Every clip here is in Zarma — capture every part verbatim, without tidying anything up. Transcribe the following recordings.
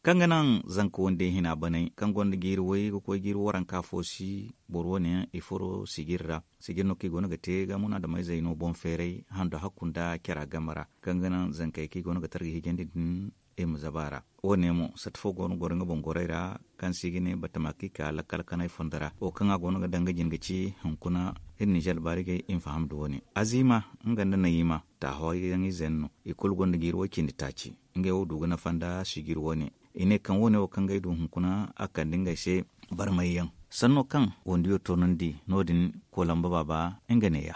Kaŋ ga naŋ zanka wande hina banay kaŋ gonda jiiri way ga koy jiiri waranka fo si boro wane yaŋ i furo sijiri ra. Sijiri no kaŋ i go no ga te ga munaadameyzey no boŋ feeray hando hakku nda cara game ra. Kaŋ ga naŋ zankey kaŋ i go no ga targa hijandi din i ma zaba a ra. Wo- ne mo sata fo go no goro nga boŋ gorey ra kaŋ se i ga ne batama kaŋ i ka lakkal kanay fondo ra wo kaŋ a go no ga daŋ ga jin ga ci hunkuna. Iri ninzeer baarigey i ma faham nda wo- ne aziima nga nda nayima taaho yaŋ ize yaŋ no. I kulu gonda jiiri way cindi taaci. Ngey wo du ga nafa nda sijiri wo- ne. I ne kaŋ wo- ne wo kaŋ ga ay du hunkuna a kande ngey se barmay yaŋ. Sanno kaŋ wandiyo toonandi no- din, kolamba baaba nga neeya.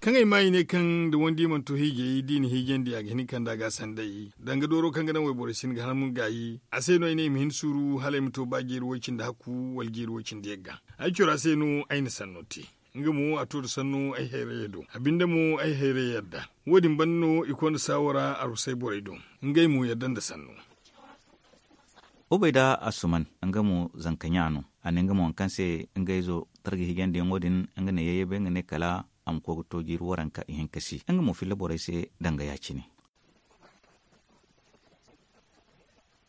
Kaŋ ay ma i ne kaŋ da wandi mana to hiijay da i na hiijandi a ga hin ga kande a ga a sanday danga dooro kaŋ ga naŋ wayborey si hin ga hanam gaayi. A se no ay ne i ma hin suuru hala ay ma to ba jeeri way cindi hakku wala jeeri way cindi yagga. Ay cora se no ay na sanno te. Nga mo a to nda sanno ay hayrayey do a binde mo ay hayrayey yadda. Wo- din banda no i konda saawara arusay borey do. Ngey mo yadda nda sanno. Ubayda asuman nga mo zanka ɲa no. A ne nga mo hari kaŋ se nga izo targa hijandiyaŋo din nga ne yayye bay nga ne kala a ma koy ga to jiiri waranka ihinka si nga mo filla borey se danga ya- cine.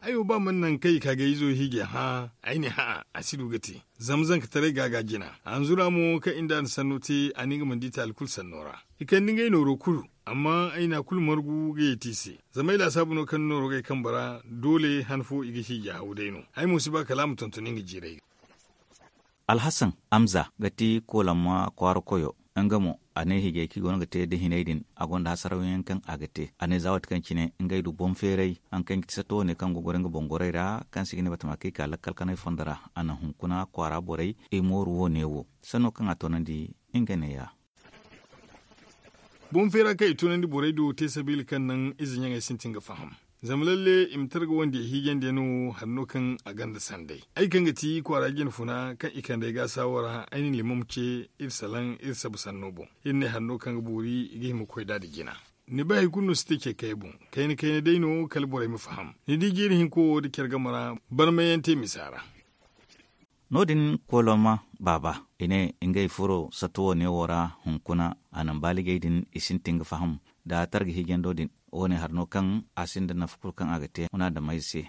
Ay wo ba mana naŋ kaŋ i ka ga izo hiijay hã. Ay ne hã'a a si du ga te. Zama zankataray ga a ga jina a hanzura mo kaŋ i nda a na sanno te a ne nga mana di taali kulu sanno ra. I kande ngey nooro kulu. Amma ay na kulu margu ga yeeti i se. Zama ay laasaabu no kaŋ nooro ga ay kambe ra. Doole han fo i ga hiija haw day no. Ay mo si ba kala a ma tonton nga jiirey ga. Alhasan amza ga ti koolamma kwaara koyo. Nga mo a ne hiijay kaŋ i go no ga te da hinay din a gonda hasaraw yaŋ kaŋ a ga te a ne za waati kaŋ cine ngey du boŋ feeray. Hari kaŋ ga ti sato wane kaŋ go ga goro nga boŋ gorey ra kaŋ se i ga ne batama kaŋ i ka lakkal kanay fondo ra. A na hunkuna kwaara borey i mooru wo- ne wo sanno kaŋ a toonandi nga neeya. Boŋ feera kaŋ i tunandi borey do te sabiila kaŋ naŋ ize ɲaŋey sintin ga faham. Zama lalle i ma targa wande hiijandiyaŋ wo hari no kaŋ a gonda sanday. Ay kaŋ ga ti kwaara jine funa kaŋ i kand'ey ga a saawara ay na limam ce iri salaŋ iri saba sanno boŋ. Iri ne hari no kaŋ ga boori i ga hima ga koy nd'a nda jina. Ni bay hari kulu no si te ce kayna boŋ. Kayna kayna day no kala borey ma faham. Ni di jeeri hinko wo nda care game ra. Barmayyaŋ te misa ra. No- din koloma baaba i ne ngey furo sato wane wo ra hunkuna. A naŋ baaligey din i sintin ga faham da targa hiijando din. Wo- ne hari no kaŋ a sinda nafa kulu kaŋ a ga te munaadamey se.